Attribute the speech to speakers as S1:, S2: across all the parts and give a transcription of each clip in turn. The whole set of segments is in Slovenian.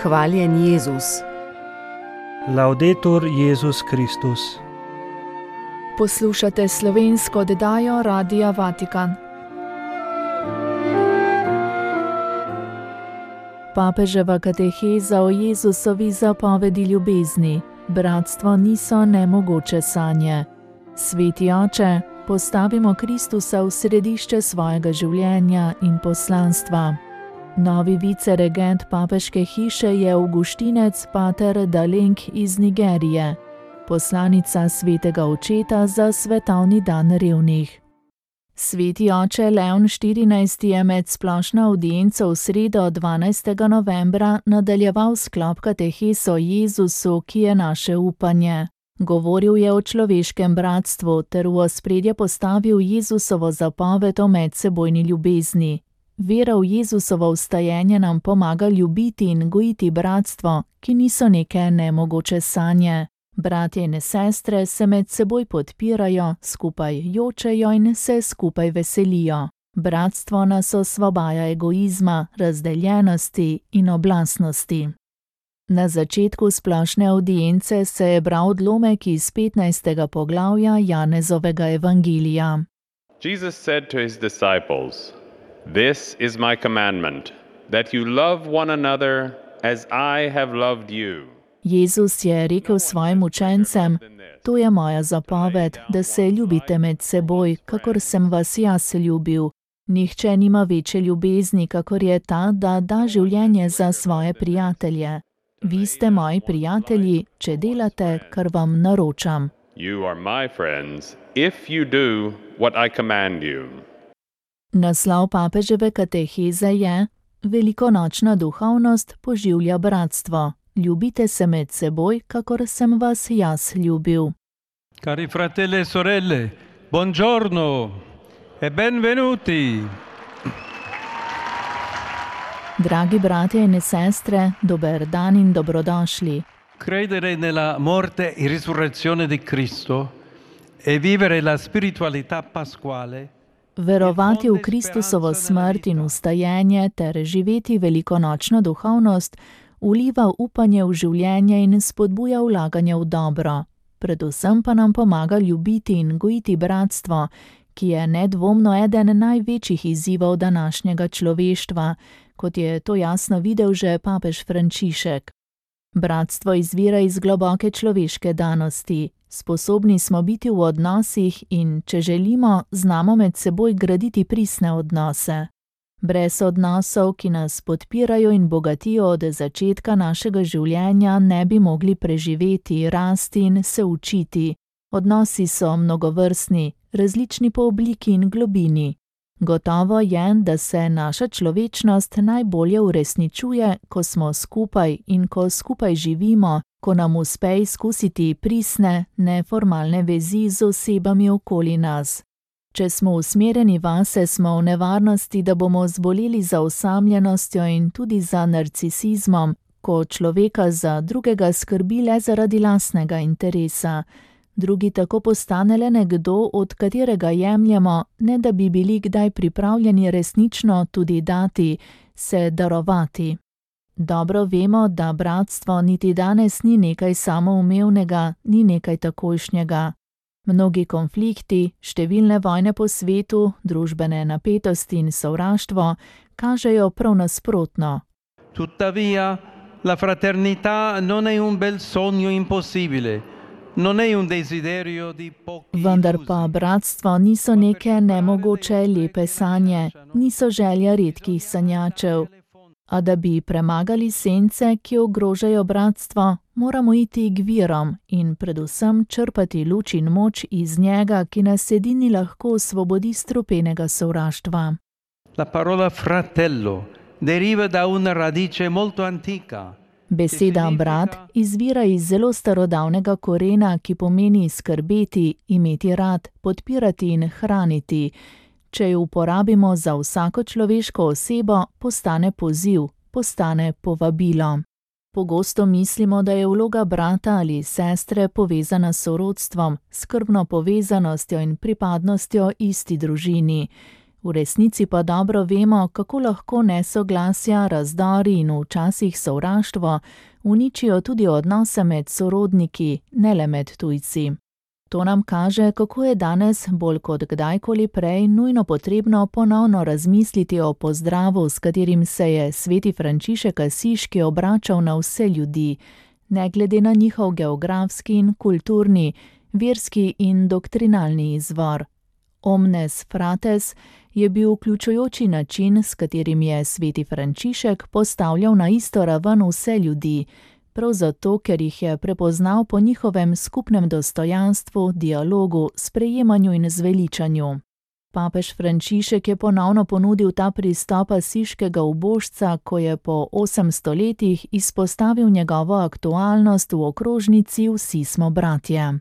S1: Hvaljen Jezus.
S2: Laudetur Jezus Kristus.
S3: Poslušate slovensko oddajo Radia Vatikan. Papeževa kateheza o Jezusovi zapovedi ljubezni. Bratstvo niso nemogoče sanje. Sveti oče, postavimo Kristusa v središče svojega življenja in poslanstva. Novi viceregent papeške hiše je avguštinec pater Daleng iz Nigerije, poslanica svetega očeta za svetovni dan revnih. Sveti oče Leon XIV je med splošno avdienco v sredo 12. novembra nadaljeval sklop kateheze o Jezusu, ki je naše upanje. Govoril je o človeškem bratstvu ter v ospredje postavil Jezusovo zapoved o medsebojni ljubezni. Vera v Jezusovo vstajenje nam pomaga ljubiti in gojiti bratstvo, ki niso neke nemogoče sanje. Bratje in sestre se med seboj podpirajo, skupaj jočejo in se skupaj veselijo. Bratstvo nas osvobaja egoizma, razdeljenosti in oblastnosti. Na začetku splošne avdience se je bral odlomek iz 15. poglavja Janezovega evangelija.
S4: Jesus said to his disciples, "This is my commandment, that you love one another as I have loved you."
S3: Jezus je rekel svojim učencem: "To je moja zapoved, da se ljubite med seboj, kakor sem vas jaz ljubil. Nihče nima večje ljubezni, kakor je ta, da da življenje za svoje prijatelje. Vi ste moji prijatelji, če delate, kar vam naročam."
S4: You are my friends, if you do what I command you.
S3: Naslov papeževe kateheze je: Velikonočna duhovnost poživlja bratstvo. Ljubite se med seboj, kakor sem vas jaz ljubil.
S2: Cari fratelli e sorelle, buongiorno e benvenuti.
S3: Dragi bratje in sestre, dober dan in dobrodošli.
S2: Credere nella morte e risurrezione di Cristo e vivere la spiritualità pasquale.
S3: Verovati v Kristusovo smrt in vstajenje ter živeti velikonočno duhovnost vliva upanje v življenje in spodbuja vlaganje v dobro. Predvsem pa nam pomaga ljubiti in gojiti bratstvo, ki je nedvomno eden največjih izzivov današnjega človeštva, kot je to jasno videl že papež Frančišek. Bratstvo izvira iz globoke človeške danosti. Sposobni smo biti v odnosih in, če želimo, znamo med seboj graditi pristne odnose. Brez odnosov, ki nas podpirajo in bogatijo od začetka našega življenja, ne bi mogli preživeti, rasti in se učiti. Odnosi so mnogovrstni, različni po obliki in globini. Gotovo je, da se naša človečnost najbolje uresničuje, ko smo skupaj in ko skupaj živimo, ko nam uspe izkusiti pristne, neformalne vezi z osebami okoli nas. Če smo usmerjeni vase, smo v nevarnosti, da bomo zboleli za osamljenostjo in tudi za narcisizmom, ko človeka za drugega skrbi le zaradi lastnega interesa. Drugi tako postane le nekdo, od katerega jemljemo, ne da bi bili kdaj pripravljeni resnično tudi dati, se darovati. Dobro vemo, da bratstvo niti danes ni nekaj samoumevnega, ni nekaj takojšnjega. Mnogi konflikti, številne vojne po svetu, družbene napetosti in sovraštvo kažejo prav nasprotno.
S2: Tuttavia, la fraternità non è un bel sogno impossibile. Non è un desiderio di pochi.
S3: Vendar pa bratstvo niso neke nemogoče lepe sanje, niso želja redkih sanjačev. A da bi premagali sence, ki ogrožajo bratstvo, moramo iti k virom in predvsem črpati luč in moč iz njega, ki nas edini lahko osvobodi strupenega sovraštva.
S2: La parola fratello deriva da una radice molto antica.
S3: Beseda brat izvira iz zelo starodavnega korena, ki pomeni skrbeti, imeti rad, podpirati in hraniti. Če jo uporabimo za vsako človeško osebo, postane poziv, postane povabilo. Pogosto mislimo, da je vloga brata ali sestre povezana s sorodstvom, skrbno povezanostjo in pripadnostjo isti družini. V resnici pa dobro vemo, kako lahko nesoglasja, razdori in včasih sovraštvo uničijo tudi odnose med sorodniki, ne le med tujci. To nam kaže, kako je danes bolj kot kdajkoli prej nujno potrebno ponovno razmisliti o pozdravu, s katerim se je sveti Frančišek Asiški obračal na vse ljudi, ne glede na njihov geografski in kulturni, verski in doktrinalni izvor. Omnes frates je bil vključujoči način, s katerim je sveti Frančišek postavljal na isto raven vse ljudi, prav zato, ker jih je prepoznal po njihovem skupnem dostojanstvu, dialogu, sprejemanju in zveličanju. Papež Frančišek je ponovno ponudil ta pristop asiškega ubožca, ko je po 800 letih izpostavil njegovo aktualnost v okrožnici Vsi smo bratje.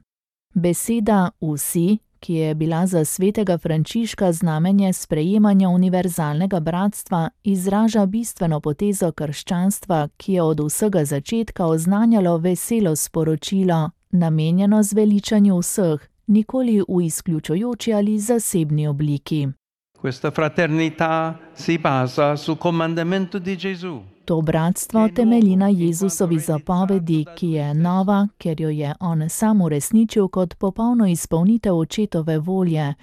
S3: Beseda vsi, ki je bila za svetega Frančiška znamenje sprejemanja univerzalnega bratstva, izraža bistveno potezo krščanstva, ki je od vsega začetka oznanjalo veselo sporočilo, namenjeno zveličanju vseh, nikoli v izključujoči ali zasebni obliki.
S2: Questa fraternità si basa sul comandamento di Gesù.
S3: To bratstvo temelji na Jezusovi zapovedi, ki je nova, ker jo je on sam uresničil kot popolno izpolnitev očetove volje,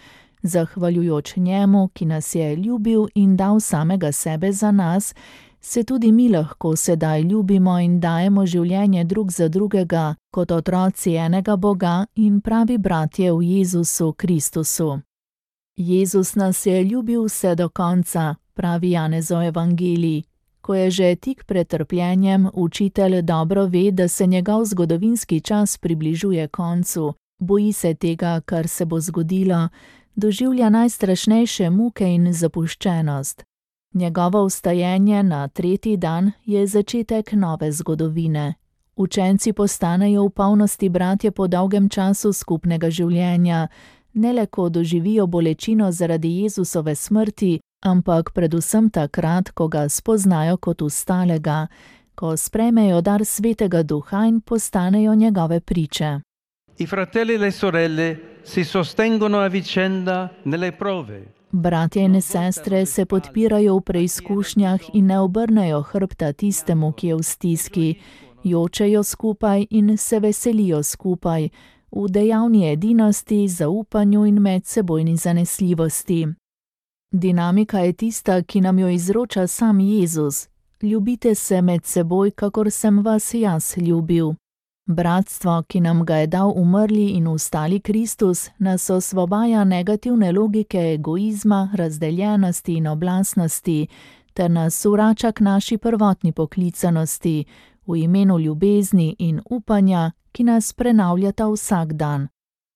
S3: zahvaljujoč njemu, ki nas je ljubil in dal samega sebe za nas, se tudi mi lahko sedaj ljubimo in dajemo življenje drug za drugega, kot otroci enega Boga in pravi bratje v Jezusu Kristusu. Jezus nas je ljubil vse do konca, pravi Janezov evangelij. Ko je že tik pred trpljenjem, učitelj dobro ve, da se njegov zgodovinski čas približuje koncu, boji se tega, kar se bo zgodilo, doživlja najstrašnejše muke in zapuščenost. Njegovo vstajenje na 3. dan je začetek nove zgodovine. Učenci postanejo v polnosti bratje po dolgem času skupnega življenja, ne le ko doživijo bolečino zaradi Jezusove smrti, ampak predvsem takrat, ko ga spoznajo kot ustalega, ko sprejmejo dar Svetega Duha in postanejo njegove priče.
S2: I fratelli e le sorelle si sostengono a vicenda nelle prove.
S3: Bratje in sestre se podpirajo v preizkušnjah in ne obrnejo hrbta tistemu, ki je v stiski, jočejo skupaj in se veselijo skupaj, v dejavni edinosti, zaupanju in medsebojni zanesljivosti. Dinamika je tista, ki nam jo izroča sam Jezus. Ljubite se med seboj, kakor sem vas jaz ljubil. Bratstvo, ki nam ga je dal umrli in vstali Kristus, nas osvobaja negativne logike egoizma, razdeljenosti in oblastnosti, ter nas vrača k naši prvotni poklicanosti, v imenu ljubezni in upanja, ki nas prenavljata vsak dan.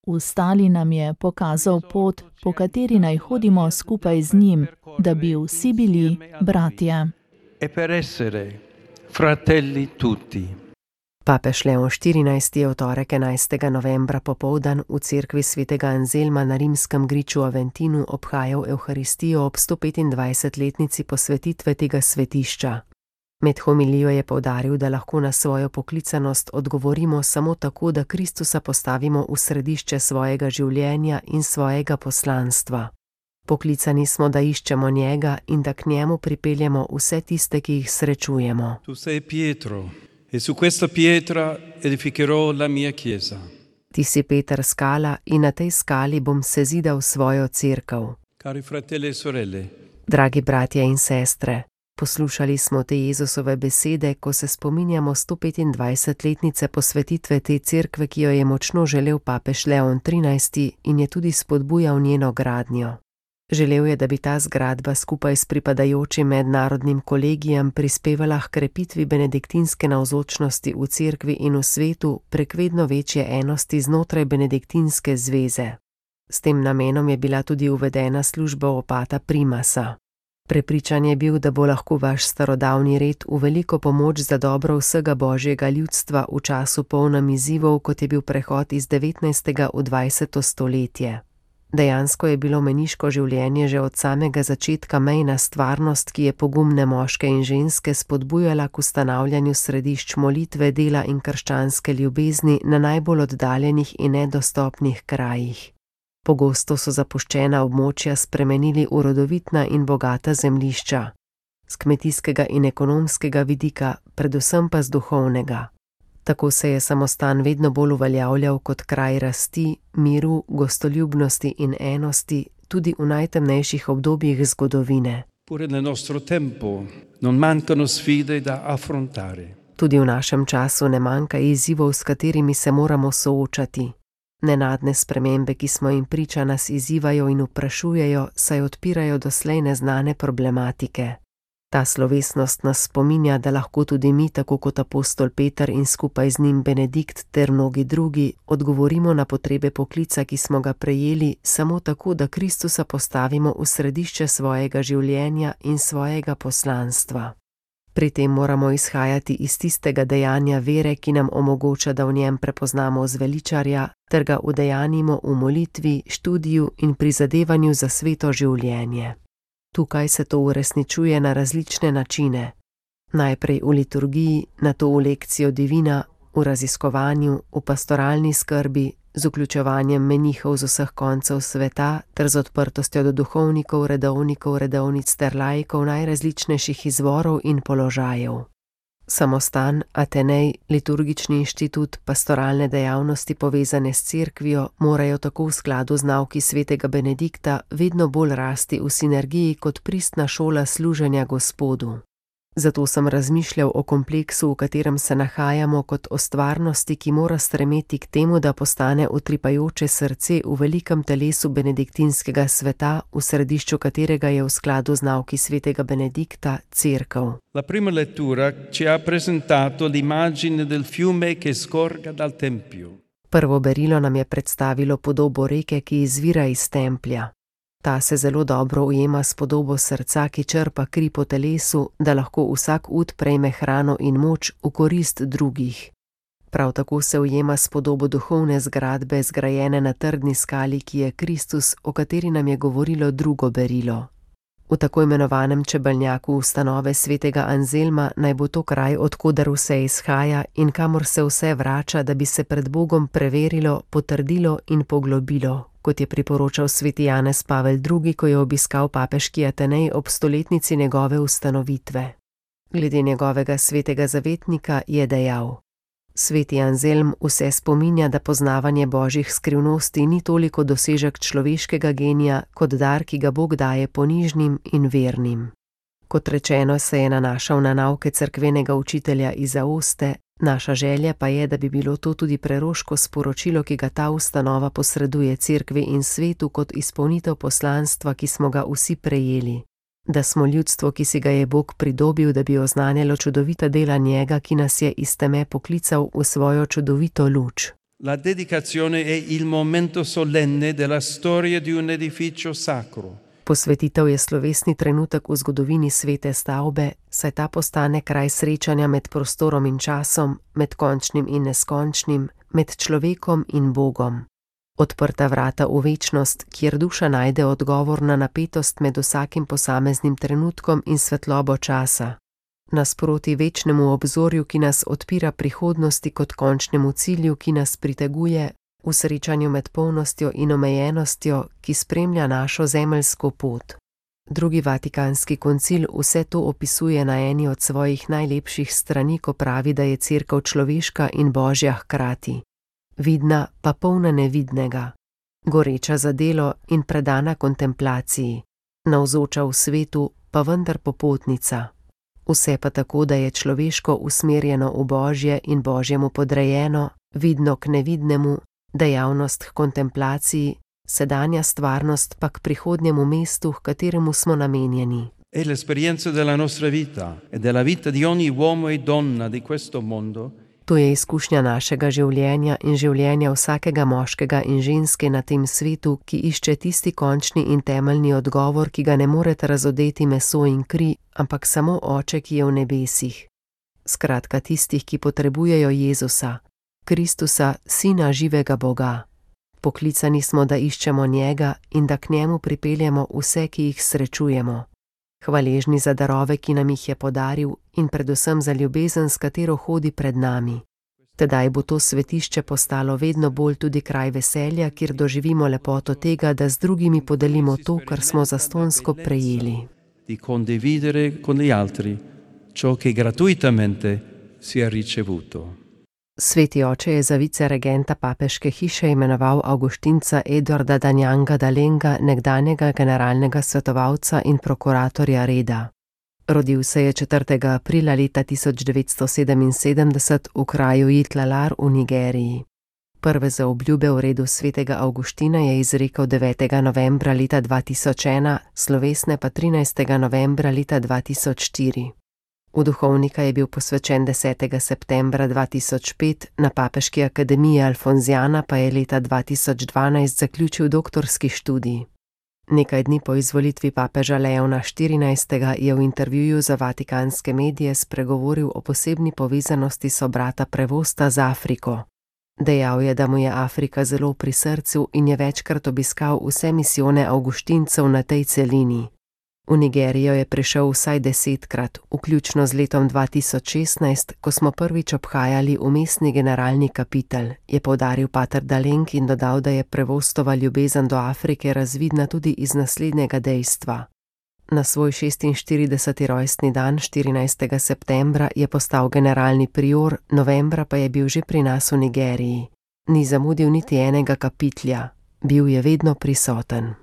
S3: Vstali nam je pokazal pot, po kateri naj hodimo skupaj z njim, da bi vsi bili bratje.
S2: E per essere fratelli tutti.
S1: Papež Leon XIV je v torek 11. novembra popoldan v cerkvi svetega Anzelma na rimskem griču Aventinu obhajal Evharistijo ob 125-letnici posvetitve tega svetišča. Med homilijo je poudaril, da lahko na svojo poklicanost odgovorimo samo tako, da Kristusa postavimo v središče svojega življenja in svojega poslanstva. Poklicani smo, da iščemo njega in da k njemu pripeljemo vse tiste, ki jih srečujemo.
S2: Tu sei Pietro, e su questa pietra edificherò la mia chiesa.
S1: Ti si Peter skala in na tej skali bom sezidal svojo cerkev.
S2: Cari fratelli e sorelle.
S1: Dragi bratje in sestre, poslušali smo te Jezusove besede, ko se spominjamo 125-letnice posvetitve te cerkve, ki jo je močno želel papež Leon XIII in je tudi spodbujal njeno gradnjo. Želel je, da bi ta zgradba skupaj s pripadajočim mednarodnim kolegijem prispevala h krepitvi benediktinske navzočnosti v cerkvi in v svetu prek vedno večje enosti znotraj benediktinske zveze. S tem namenom je bila tudi uvedena služba opata primasa. Prepričan je bil, da bo lahko vaš starodavni red v veliko pomoč za dobro vsega božjega ljudstva v času polnem izzivov, kot je bil prehod iz 19. v 20. stoletje. Dejansko je bilo meniško življenje že od samega začetka mejna stvarnost, ki je pogumne moške in ženske spodbujala k ustanavljanju središč molitve, dela in krščanske ljubezni na najbolj oddaljenih in nedostopnih krajih. Pogosto so zapuščena območja spremenili v rodovitna in bogata zemljišča, z kmetijskega in ekonomskega vidika, predvsem pa z duhovnega. Tako se je samostan vedno bolj uveljavljal kot kraj rasti, miru, gostoljubnosti in enosti, tudi v najtemnejših obdobjih zgodovine.
S2: Pure nel nostro tempo non mancano sfide da affrontare.
S1: Tudi v našem času ne manjka izzivov, s katerimi se moramo soočati. Nenadne spremembe, ki smo jim priča, nas izzivajo in vprašujejo, saj odpirajo doslej neznane problematike. Ta slovesnost nas spominja, da lahko tudi mi, tako kot apostol Peter in skupaj z njim Benedikt ter mnogi drugi, odgovorimo na potrebe poklica, ki smo ga prejeli, samo tako, da Kristusa postavimo v središče svojega življenja in svojega poslanstva. Pri tem moramo izhajati iz tistega dejanja vere, ki nam omogoča, da v njem prepoznamo zveličarja, ter ga udejanimo v molitvi, študiju in prizadevanju za sveto življenje. Tukaj se to uresničuje na različne načine. Najprej v liturgiji, nato v lekcijo divina, v raziskovanju, v pastoralni skrbi, z vključevanjem menihov z vseh koncev sveta ter z odprtostjo do duhovnikov, redovnikov, redovnic ter laikov najrazličnejših izvorov in položajev. Samostan, Atenej, liturgični inštitut, pastoralne dejavnosti povezane s cerkvijo morajo tako v skladu z nauki svetega Benedikta vedno bolj rasti v sinergiji kot pristna šola služenja Gospodu. Zato sem razmišljal o kompleksu, v katerem se nahajamo, kot o stvarnosti, ki mora stremeti k temu, da postane utripajoče srce v velikem telesu benediktinskega sveta, v središču katerega je v skladu z nauki svetega Benedikta cerkev.
S2: La prima lettura ci ha presentato l'immagine del fiume che scorga dal tempio.
S1: Prvo berilo nam je predstavilo podobo reke, ki izvira iz templja. Ta se zelo dobro ujema s podobo srca, ki črpa kri po telesu, da lahko vsak ud prejme hrano in moč v korist drugih. Prav tako se ujema s podobo duhovne zgradbe, zgrajene na trdni skali, ki je Kristus, o kateri nam je govorilo drugo berilo. V tako imenovanem čebelnjaku ustanove svetega Anzelma naj bo to kraj, od koder vse izhaja in kamor se vse vrača, da bi se pred Bogom preverilo, potrdilo in poglobilo, kot je priporočal sveti Janez Pavel II, ko je obiskal papeški Atenej ob stoletnici njegove ustanovitve. Glede njegovega svetega zavetnika je dejal: Sveti Anzelm vse spominja, da poznavanje božjih skrivnosti ni toliko dosežek človeškega genija, kot dar, ki ga Bog daje ponižnim in vernim. Kot rečeno, se je nanašal na nauke cerkvenega učitelja iz Aoste, naša želja pa je, da bi bilo to tudi preroško sporočilo, ki ga ta ustanova posreduje cerkvi in svetu kot izpolnitev poslanstva, ki smo ga vsi prejeli. Da smo ljudstvo, ki si ga je Bog pridobil, da bi oznanjalo čudovita dela njega, ki nas je iz teme poklical v svojo čudovito luč.
S2: La dedicazione è il momento solenne della storia di un edificio sacro.
S1: Posvetitev je slovesni trenutek v zgodovini svete stavbe, saj ta postane kraj srečanja med prostorom in časom, med končnim in neskončnim, med človekom in Bogom. Odprta vrata v večnost, kjer duša najde odgovor na napetost med vsakim posameznim trenutkom in svetlobo časa. Nasproti večnemu obzorju, ki nas odpira prihodnosti kot končnemu cilju, ki nas priteguje, v srečanju med polnostjo in omejenostjo, ki spremlja našo zemeljsko pot. Drugi Vatikanski koncil vse to opisuje na eni od svojih najlepših strani, ko pravi, da je cerkev človeška in božja hkrati. Vidna pa polna nevidnega, goreča za delo in predana kontemplaciji, navzoča v svetu pa vendar popotnica. Vse pa tako, da je človeško usmerjeno v božje in božjemu podrejeno, vidno k nevidnemu, dejavnost k kontemplaciji, sedanja stvarnost pa k prihodnjemu mestu, k kateremu smo namenjeni.
S2: È l'esperienza della nostra vita e della vita di ogni uomo e donna di questo mondo.
S1: To je izkušnja našega življenja in življenja vsakega moškega in ženske na tem svetu, ki išče tisti končni in temeljni odgovor, ki ga ne morete razodeti meso in kri, ampak samo Oče, ki je v nebesih. Skratka, tistih, ki potrebujejo Jezusa, Kristusa, Sina živega Boga. Poklicani smo, da iščemo njega in da k njemu pripeljemo vse, ki jih srečujemo. Hvaležni za darove, ki nam jih je podaril, in predvsem za ljubezen, s katero hodi pred nami. Tedaj bo to svetišče postalo vedno bolj tudi kraj veselja, kjer doživimo lepoto tega, da z drugimi podelimo to, kar smo zastonjsko prejeli.
S2: Di condividere con gli altri ciò che gratuitamente si è ricevuto.
S1: Sveti oče je za viceregenta papeške hiše imenoval Avguštinca Eduarda Danjanga Dalenga, nekdanjega generalnega svetovalca in prokuratorja reda. Rodil se je 4. aprila leta 1977 v kraju Itlalar v Nigeriji. Prve zaobljube v redu svetega Avguština je izrekel 9. novembra leta 2001, slovesne pa 13. novembra leta 2004. V duhovnika je bil posvečen 10. septembra 2005, na Papeški akademiji Alfonziana pa je leta 2012 zaključil doktorski študij. Nekaj dni po izvolitvi papeža Leona XIV. Je v intervjuju za vatikanske medije spregovoril o posebni povezanosti sobrata Prevosta z Afriko. Dejal je, da mu je Afrika zelo pri srcu in je večkrat obiskal vse misijone Avguštincev na tej celini. V Nigerijo je prišel vsaj 10-krat, vključno z letom 2016, ko smo prvič obhajali umestni generalni kapitel, je poudaril pater Daleng in dodal, da je Prevostova ljubezen do Afrike razvidna tudi iz naslednjega dejstva. Na svoj 46. rojstni dan 14. septembra je postal generalni prior, novembra pa je bil že pri nas v Nigeriji. Ni zamudil niti enega kapitlja, bil je vedno prisoten.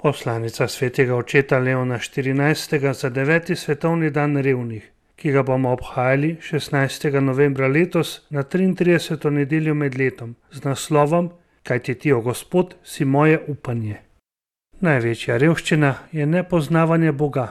S5: Poslanica svetega očeta Leona XIV. Za 9. svetovni dan revnih, ki ga bomo obhajali 16. novembra letos na 33. nedeljo med letom z naslovom Kajti ti, o Gospod, si moje upanje. Največja revščina je nepoznavanje Boga.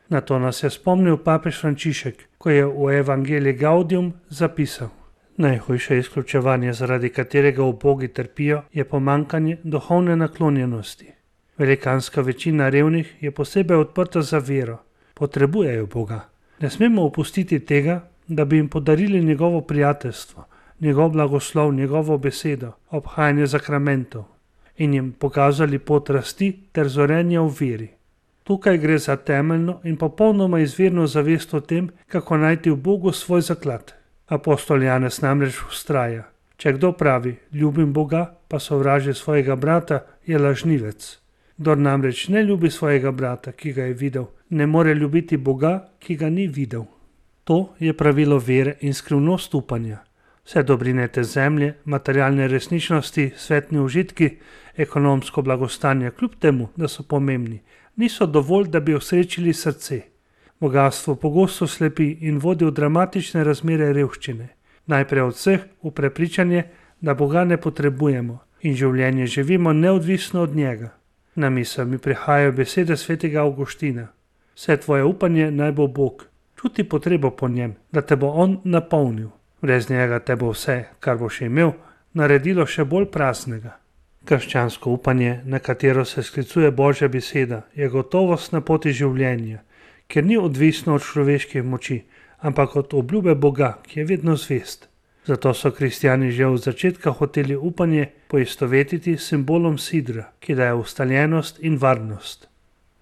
S5: Na to nas je spomnil papež Frančišek, ko je v Evangelii Gaudium zapisal: najhujše izključevanje, zaradi katerega ubogi trpijo, je pomanjkanje duhovne naklonjenosti. Velikanska večina revnih je posebej odprta za vero, potrebujejo Boga. Ne smemo opustiti tega, da bi jim podarili njegovo prijateljstvo, njegov blagoslov, njegovo besedo, obhajanje zakramentov in jim pokazali pot rasti ter zorenja v veri. Tukaj gre za temeljno in popolnoma izvirno zavest o tem, kako najti v Bogu svoj zaklad. Apostol Janez namreč vztraja: če kdo pravi, ljubim Boga, pa sovraži svojega brata, je lažnivec. Kdor namreč ne ljubi svojega brata, ki ga je videl, ne more ljubiti Boga, ki ga ni videl. To je pravilo vere in skrivnost upanja. Vse dobrine te zemlje, materialne resničnosti, svetni užitki, ekonomsko blagostanje, kljub temu, da so pomembni, niso dovolj, da bi osrečili srce. Bogastvo pogosto slepi in vodi v dramatične razmere revščine. Najprej od vseh v prepričanje, da Boga ne potrebujemo in življenje živimo neodvisno od njega. Na misel mi prihajajo besede svetega Avguština: vse tvoje upanje naj bo Bog, čuti potrebo po njem, da te bo on napolnil. Brez njega te bo vse, kar boš imel, naredilo še bolj praznega. Krščansko upanje, na katero se sklicuje Božja beseda, je gotovost na poti življenja, ker ni odvisno od človeških moči, ampak od obljube Boga, ki je vedno zvest. Zato so kristjani že od začetka hoteli upanje poistovetiti s simbolom sidra, ki daje ustaljenost in varnost.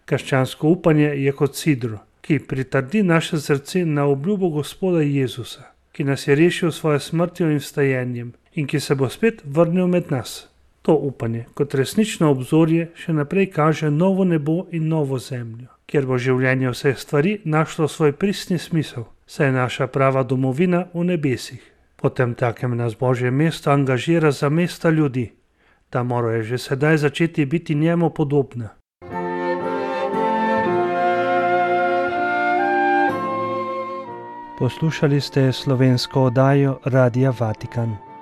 S5: Krščansko upanje je kot sidro, ki pritrdi naše srce na obljubo Gospoda Jezusa, ki nas je rešil s svojo smrtjo in vstajenjem in ki se bo spet vrnil med nas. To upanje kot resnično obzorje še naprej kaže novo nebo in novo zemljo, kjer bo življenje vseh stvari našlo svoj pristni smisel, saj je naša prava domovina v nebesih. Potem takem nas Božje mesto angažira za mesta ljudi. Ta morajo že sedaj začeti biti njemu podobna. Poslušali ste slovensko oddajo Radia Vatikan.